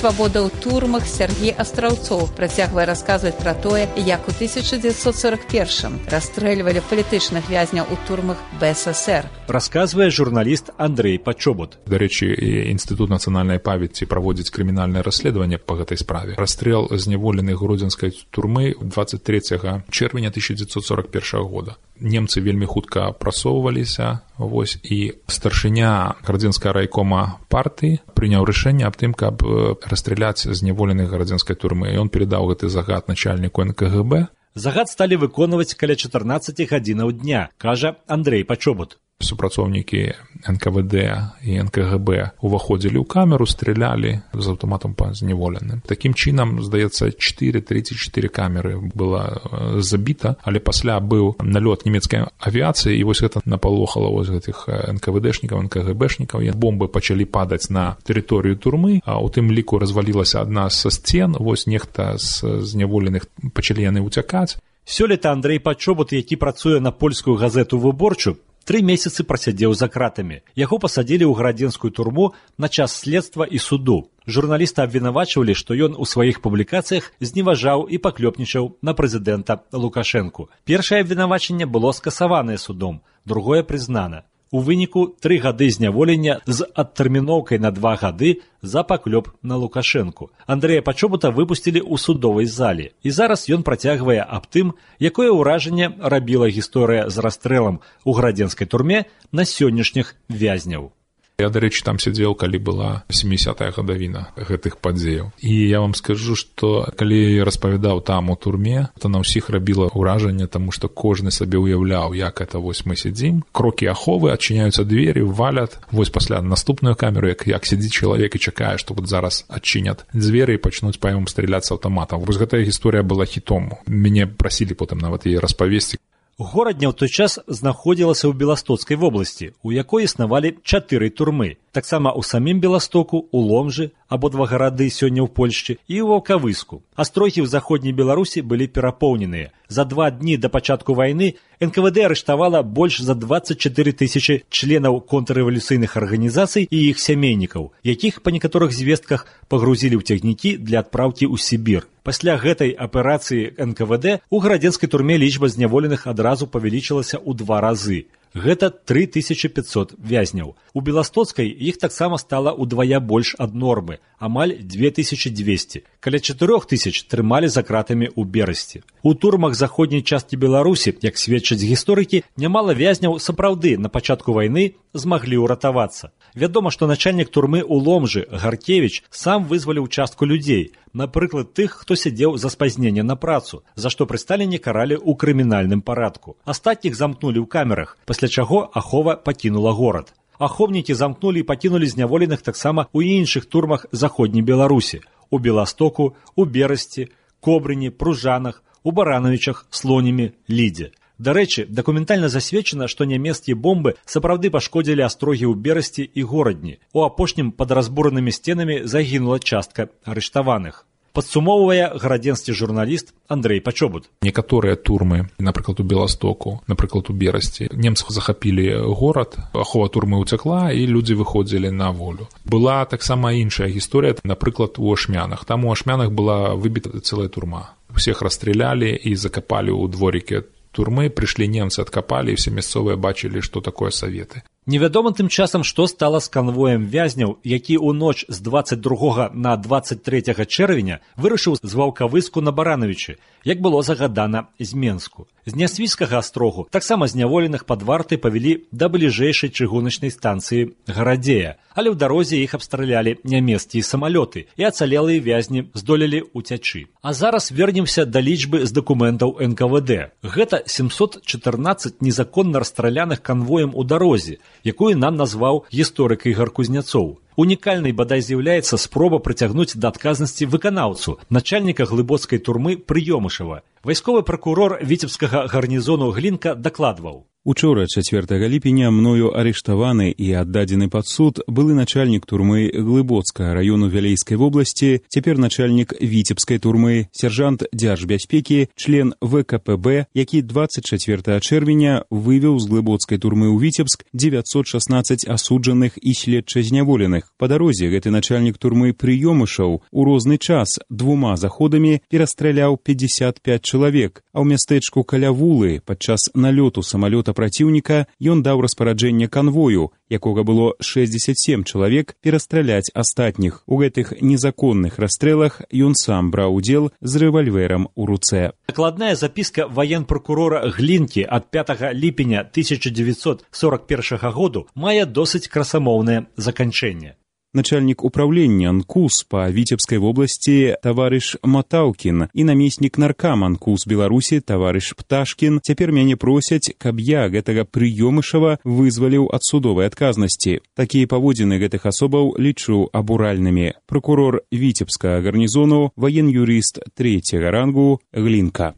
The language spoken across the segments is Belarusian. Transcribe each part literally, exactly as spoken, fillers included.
свабода ў турмах Сергей Астраўцоў працягвае расказваць пра тое, як у тысяча дзевяцьсот сорок першым расстрэльвалі палітычных вязняў у турмах БССР. Расказвае журналіст Андрей Пачобут. Дарэчы, Інстытут нацыянальнай памяці праводзіць крымінальнае расследаванне па гэтай справе. Расстрэл зняволеных гродзенскай турмы двадцать трэцяга чэрвеня тысяча дзевяцьсот сорок першага года. Немцы вельмі хутка прасоўваліся, вось, і старшыня гродзенскага райкома партыі прыняў рашэнне аб тым, каб расстраляць зняволеных гродзенскай турмы. І ён перадаў гэты загад начальніку эн ка гэ бэ. Загад сталі выконваць каля чатырнаццаці гадзінаў дня, кажа Андрей Пачобут. Супрацоўнікі эн ка вэ дэ і эн ка гэ бэ уваходзілі ў камеру, стрелялі з аўтаматам па зняволеным. Такім чынам, здаецца, чатыры тридцать чатыры камеры была забіта, але пасля быў налёт нямецкай авіяцыі, і вось гэта напалохала вось гэтых эн ка вэ дэшнікаў, эн ка гэ бэшнікаў. Бомбы пачалі падаць на тэрыторыю турмы, а ў тым ліку развалілася адна са сцен, вось нехта з зняволеных пачалі яны ўцякаць. Сёлета Андрей Пачобут, які працуе на польскую газету «Выборчу», Тры месяцы прасядзеў за кратамі. Яго пасадзілі ў градзенскую турму на час следства і суду. Журналісты абвінавачвалі, што ён у сваіх публікацыях зневажаў і паклёпнічаў на прэзідэнта Лукашэнку. Першае абвінавачанне было скасаванае судом, другое прызнана. У выніку тры гады зняволення з адтэрміноўкай на два гады за паклёп на Лукашэнку. Андрэя Пачобута выпусцілі ў судовай зале. І зараз ён працягвае аб тым, якое ўражанне рабіла гісторыя з расстрэлам у градзенскай турме на сённяшніх вязняў. Я, дарэчы, там сядзеў, калі была сямідзесятая гадавіна гэтых падзеяў. І я вам скажу, што калі распавядаў там у турме, то на ўсіх рабіла ўражанне, таму што кожны сабе ўяўляў, як это вось мы сядзім. Крокі аховы, адчыняюцца двері, валят. Вось пасля наступную камеру, як, як сядзіць чалавек і чакае, што вот зараз адчынят дзверы і пачнуць па яму страляць з аўтаматам. Вось гэтая гісторыя была хітом. Мяне прасілі потым нават яе распавесці. Горадня ў той час знаходзілася ў Беластоцкай вобласці, у якой існавалі чатыры турмы. Таксама ў самім Беластоку, у Ломжы, абодва гарады сёння ў Польшчы, і ў Ваўкавыску. Астрогі ў заходняй Беларусі былі перапоўненыя. За два дні да пачатку вайны эн ка вэ дэ арыштавала больш за двадцать чатыры тысячы членаў контррэвалюцыйных арганізацый і іх сямейнікаў, якіх па некаторых звестках пагрузілі ў цягнікі для адпраўкі ў Сібір. Пасля гэтай аперацыі эн ка вэ дэ у градзенскай турме лічба зняволеных адразу павялічылася ў два разы. Гэта тры тысячы пятьсот вязняў. У Беластоцкай іх таксама стала ўдвая больш ад нормы, амаль две тысячы дзвесце. Каля чатырох тысяч трымалі за кратамі ў Берасці. У турмах заходняй часткі Беларусі, як сведчаць гісторыкі, нямала вязняў сапраўды на пачатку вайны змаглі ўратавацца. Вядома, што начальнік турмы ў Ломжы Гаркевіч сам вызваліў частку людзей, напрыклад, тых, хто сядзеў за спазненне на працу, за што пры Сталіне каралі ў крымінальным парадку. Астатніх замкнулі ў камерах, пасля чаго ахова пакінула горад. Аховнікі замкнулі і пакінулі зняволеных таксама ў іншых турмах заходняй Беларусі, у Беластоку, у Берасці, Кобрыні, Пружанах, у Баранавічах, Слонімі, Лідзе. Дарэчы, дакументальна засведчана, што нямецкія бомбы сапраўды пашкодзілі астрогі ў Берасці і Горадні. У апошнім пад разбуранымі сценамі загінула частка арыштаваных. Падсумоўвае градзенскі журналіст Андрей Пачобут. Некаторыя турмы, напрыклад, у Беластоку, напрыклад, у Берасці, немцы захапілі горад, ахова турмы ўцякла, і людзі выходзілі на волю. Была таксама іншая гісторыя, напрыклад, у Ашмянах. Там у Ашмянах была выбіта цэлая турма. Усіх расстралялі і закапалі ў дворіке турмы, прыйшлі немцы, адкапалі, і все мясцовыя бачылі, што такое саветы. Невядома тым часам, што стала з канвоем вязняў, які ў ноч з дваццаць другога на дваццаць трэцяга чэрвеня вырушыў з Ваўкавыску на Баранавічы, як было загадана з Менску. З Нясвіцкага астрогу таксама зняволеных пад вартай павялі да бліжэйшай чыгуначнай станцыі Гарадзея, але ў дарозе іх абстралялі нямецкія самалёты, і ацалелыя вязні здолелі ўцячы. А зараз вернемся да лічбы з дакументаў эн ка вэ дэ. Гэта сямсот чатырнаццаць незаконна расстраляных канвоем у дарозе, якую нам назваў гісторык Ігар Кузняцоў. Унікальнай бадай з'яўляецца спроба прыцягнуць да адказнасці выканаўцу, начальніка глыбоцкай турмы Прыёмышава. Вайсковы пракурор віцебскага гарнізону Глінка дакладваў. Учора, чацвёртага ліпеня, мною арыштаваны і аддадзены пад суд былы начальнік турмы Глыбоцкага раёну Вялейскай вобласці, цяпер начальнік Віцебскай турмы, сержант дзяржбяспекі, член вэ ка пэ бэ, які дваццаць чацвёртага чэрвеня вывеў з Глыбоцкай турмы ў Віцебск дзевяцьсот шаснаццаць асуджаных і следча-зняволеных. Па дарозе гэты начальнік турмы Прыёмышаў у розны час двума заходамі перастраляў пятьдесят пять чалавек, а ў мястэчку каля Вулы падчас налёту самалёта праціўніка ён даў распараджэнне канвою, якога было шэсцьдзесят сем чалавек, перастраляць астатніх. У гэтых незаконных расстрэлах ён сам браў удзел з рэвальверам у руцэ. Дакладная запіска ваенпракурора Глінкі ад пятага ліпеня тысяча дзевяцьсот сорок першага году мае досыць красамоўнае заканчэнне. Начальнік управлення эн ку эс па Віцебскай вобласці таварыш Матаўкін і намеснік наркама эн ку эс Беларусі таварыш Пташкін цяпер мяне просяць, каб я гэтага Прыёмышава вызваліў ад судовай адказнасці. Такія паводзіны гэтых асобаў лічу абуральнымі. Прокурор Віцебскага гарнізону, ваен-юрыст трэцяга рангу Глінка.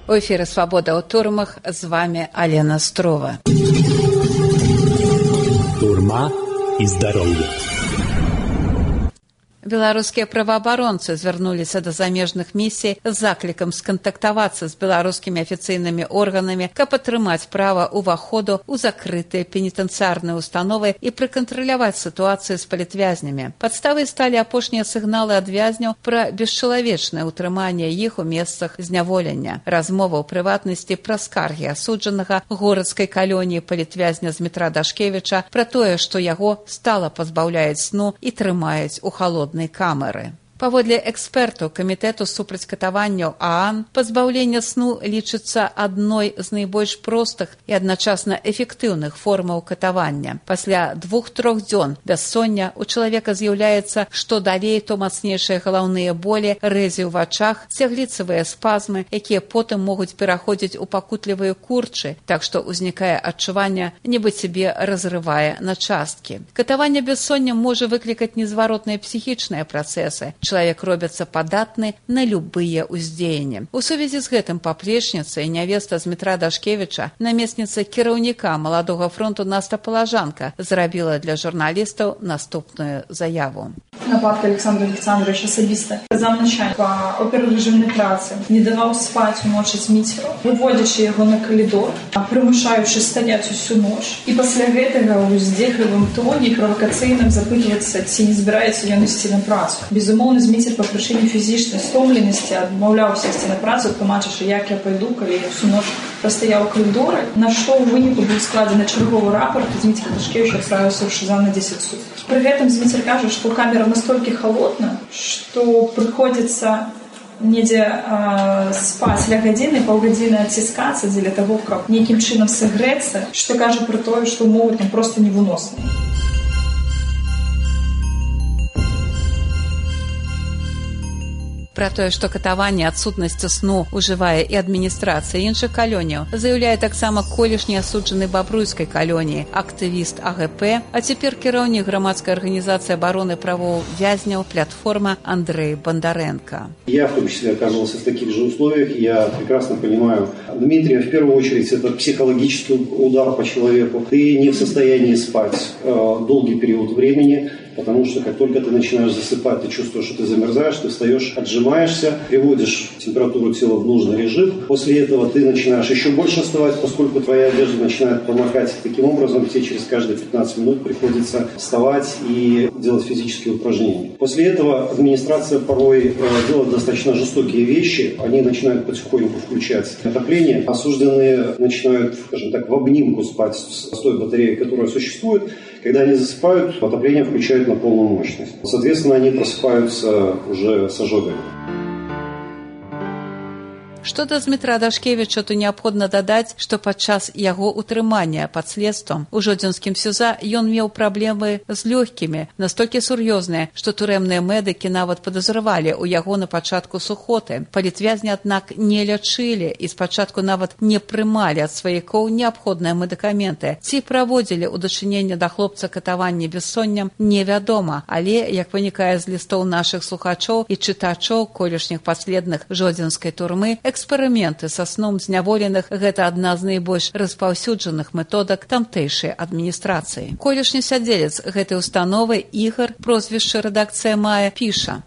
У эфіры «Свабода ў турмах», з вами Алена Строва. Турма і здароўе. Беларускія праваабаронцы звярнуліся да замежных місій з заклікам скантактавацца з беларускімі афіцыйнымі органамі, каб атрымаць права ўваходу ў закрытыя пенітэнцыярныя установы і прыкантраляваць сітуацыю з палітвязнямі. Падставай сталі апошнія сігналы ад вязняў пра бесчалавечнае ўтрыманне іх у месцах зняволення. Размова ў прыватнасці пра скаргі асуджанага горадскай калоніі палітвязня Змітра Дашкевіча пра тое, што яго стала пазбаўляюць сну і трымаюць у халоднай камеры. Паводле экспертаў камітэту супраць катаванняў ААН, пазбаўленне сну лічыцца адной з найбольш простых і адначасна эфектыўных формаў катавання. Пасля двух-трох дзён бяссоння у чалавека з'яўляецца што далей, то мацнейшыя галаўныя болі, рэзі ў вачах, цягліцавыя спазмы, якія потым могуць пераходзіць у пакутлівыя курчы, так што ўзнікае адчуванне, нібы цябе разрывае на часткі. Катаванне бяссоння можа выклікаць незваротныя псіхічныя працэсы. Чалавек робіцца падатны на любыя ўздзеянні. У сувязі з гэтым паплечніца і нявеста Змітра Дашкевіча, намесніца кіраўніка маладога фронту Наста Палажанка, зрабіла для журналістаў наступную заяву. Нападка Александра Александровича асабіста замначальник па оператыўнай працы не даваў спаць уночы Зміцеру, выводзячы яго на калідор, прымушаючы стаяць усю ноч, і пасля гэтага ў здзеклівым тоне правакацыйным запытвацца, ці не збіраецца ён ісці на працу. Безумоўна, Зміцер па прычыне фізічнай стомленасці адмаўляўся ісці на працу, тлумачачы, як я пайду, калі я всю ноч прастаяў у калідоры, на што ў выніку быў складзены чарговы рапорт, і Зміцер Дашкевіч адправіўся ў ШИЗА на дзесяць сутак. Пры гэтым Зміцер кажа, што камера настолькі халодна, што прыходзіцца недзе э, спаць ля гадзіны, паўгадзіны адціскацца дзеля таго, каб нейкім чынам сагрэцца, што кажа пра тое, што ўмовы там проста невыносны. Пра тое, што катаванне адсутнасці сну ўжывае і адміністрацыя іншых калоніяў, заяўляе таксама колішні асуджаны Бабруйскай калоніі, актывіст А Г П, а цяпер кіраўнік грамадскай арганізацыі абароны правоў вязняў «Платформа» Андрей Бондаренко. Я в том числе оказывался в таких же условиях. Я прекрасно понимаю Дмитрия. В первую очередь это психологический удар по человеку. Ты не в состоянии спать э, долгий период времени, потому что как только ты начинаешь засыпать, ты чувствуешь, что ты замерзаешь, ты встаешь, отжимаешься, приводишь температуру тела в нужный режим. После этого ты начинаешь еще больше вставать, поскольку твоя одежда начинает промокать. Таким образом, тебе через каждые пятнадцать минут приходится вставать и делать физические упражнения. После этого администрация порой э, делает достаточно жестокие вещи. Они начинают потихоньку включать отопление. Осужденные начинают, скажем так, в обнимку спать с той батареей, которая существует. Когда они засыпают, отопление включают на полную мощность. Соответственно, они просыпаются уже с ожогами. Што да Змітра Дашкевіча, то неабходна дадаць, што падчас яго утрымання пад следствам у жодзінскім СІЗА ён меў праблемы з лёгкімі, настолькі сур'ёзныя, што турэмныя медыкі нават падазравалі ў яго на пачатку сухоты. Палітвязні, аднак, не лячылі і спачатку нават не прымалі ад сваякоў неабходныя медыкаменты. Ці праводзілі ў дачыненне да хлопца катаванне бессонням, невядома, але, як вынікае з лістоў нашых слухачоў і чытачоў колішніх паследных жодзінскай турмы, Эксперыменты са сном зняволеных – гэта адна з найбольш распаўсюджаных методак тамтэйшай адміністрацыі. Колішні сядзелец гэтай установы Ігар, прозвішча рэдакцыя мае, піша: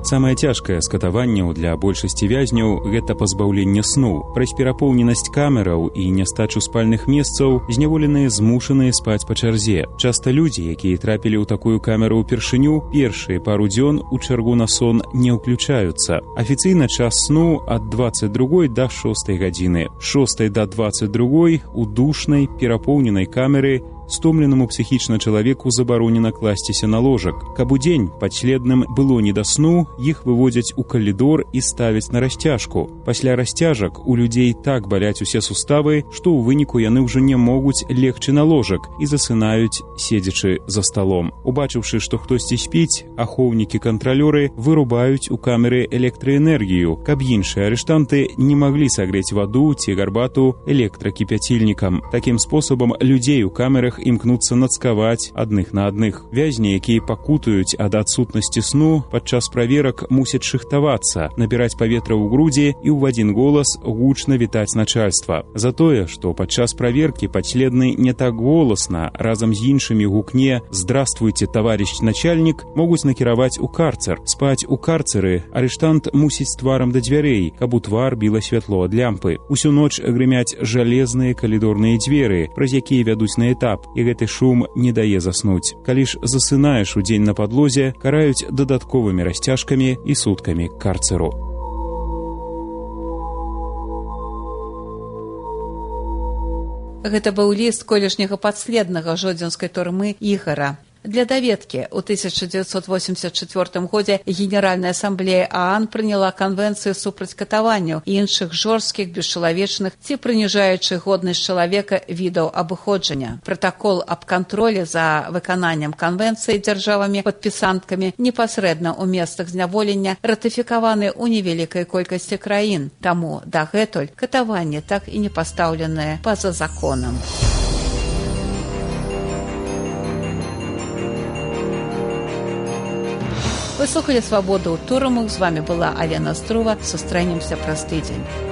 Самае цяжкае з катаванняў для большасці вязняў – гэта пазбаўленне сну. Праз перапоўненасць камераў і нястачу спальных месцаў зняволеныя змушаныя спаць па чарзе. Часта людзі, якія трапілі ў такую камеру ўпершыню, першыя пару дзён у чаргу на сон не ўключаюцца. Афіцыйна час сну ад дваццаць другой да шостай гадзіны. З шостай да дваццаць другой у душнай, перапоўненай камеры стомленаму псіхічна чалавеку забаронена класціся на ложак. Каб удзень падследным было не да сну, іх выводзяць у калідор і ставяць на расцяжку. Пасля расцяжак у людзей так баляць усе суставы, што ў выніку яны ўжо не могуць легчы на ложак і засынаюць, седзячы за сталом. Убачыўшы, што хтосьці спіць, ахоўнікі-кантралёры вырубаюць у камеры электраэнергію, каб іншыя арыштанты не маглі сагрэць ваду ці гарбату электракіпяцільнікам. Такім спосабам людзей у камерах імкнуцца нацкаваць адных на адных. Вязні, якія пакутаюць ад адсутнасці сну, падчас праверак мусяць шыхтавацца, набіраць паветра ў грудзі і ў адзін голас гучна вітаць начальства. За тое, што падчас праверкі падследны не так голасна, разам з іншымі гукне «Здравствуйте, товарищ начальник», могуць накіраваць у карцер. Спаць у карцеры арыштант мусіць тварам да дзвярэй, каб у твар біла святло ад лямпы. Усю ноч грымяць жалезныя калідорныя дзверы, праз якія вядуць на этап, і гэты шум не дае заснуць. Калі ж засынаеш удзень на падлозе, караюць дадатковымі расцяжкамі і суткамі карцеру. Гэта быў ліст колішняга падследнага жодзінскай турмы Ігара. Для даведкі, у тысяча дзевяцьсот восемьдесят чвёртым годзе Генеральная асамблея ААН прыняла канвенцыю супраць катаванняў і іншых жорсткіх, бесчалавечных ці прыніжаючых годнасць чалавека відаў абыходжання. Пратакол аб кантролі за выкананнем канвенцыі дзяржавамі падпісанткамі непасрэдна ў месцах зняволення ратыфікаваны ў невялікай колькасці краін. Таму дагэтуль катаванне так і не пастаўленае па-за законам. Вы слухали «Свободу ў турмах». З вами была Алена Струва. Сустрэнемся праз тыдзень.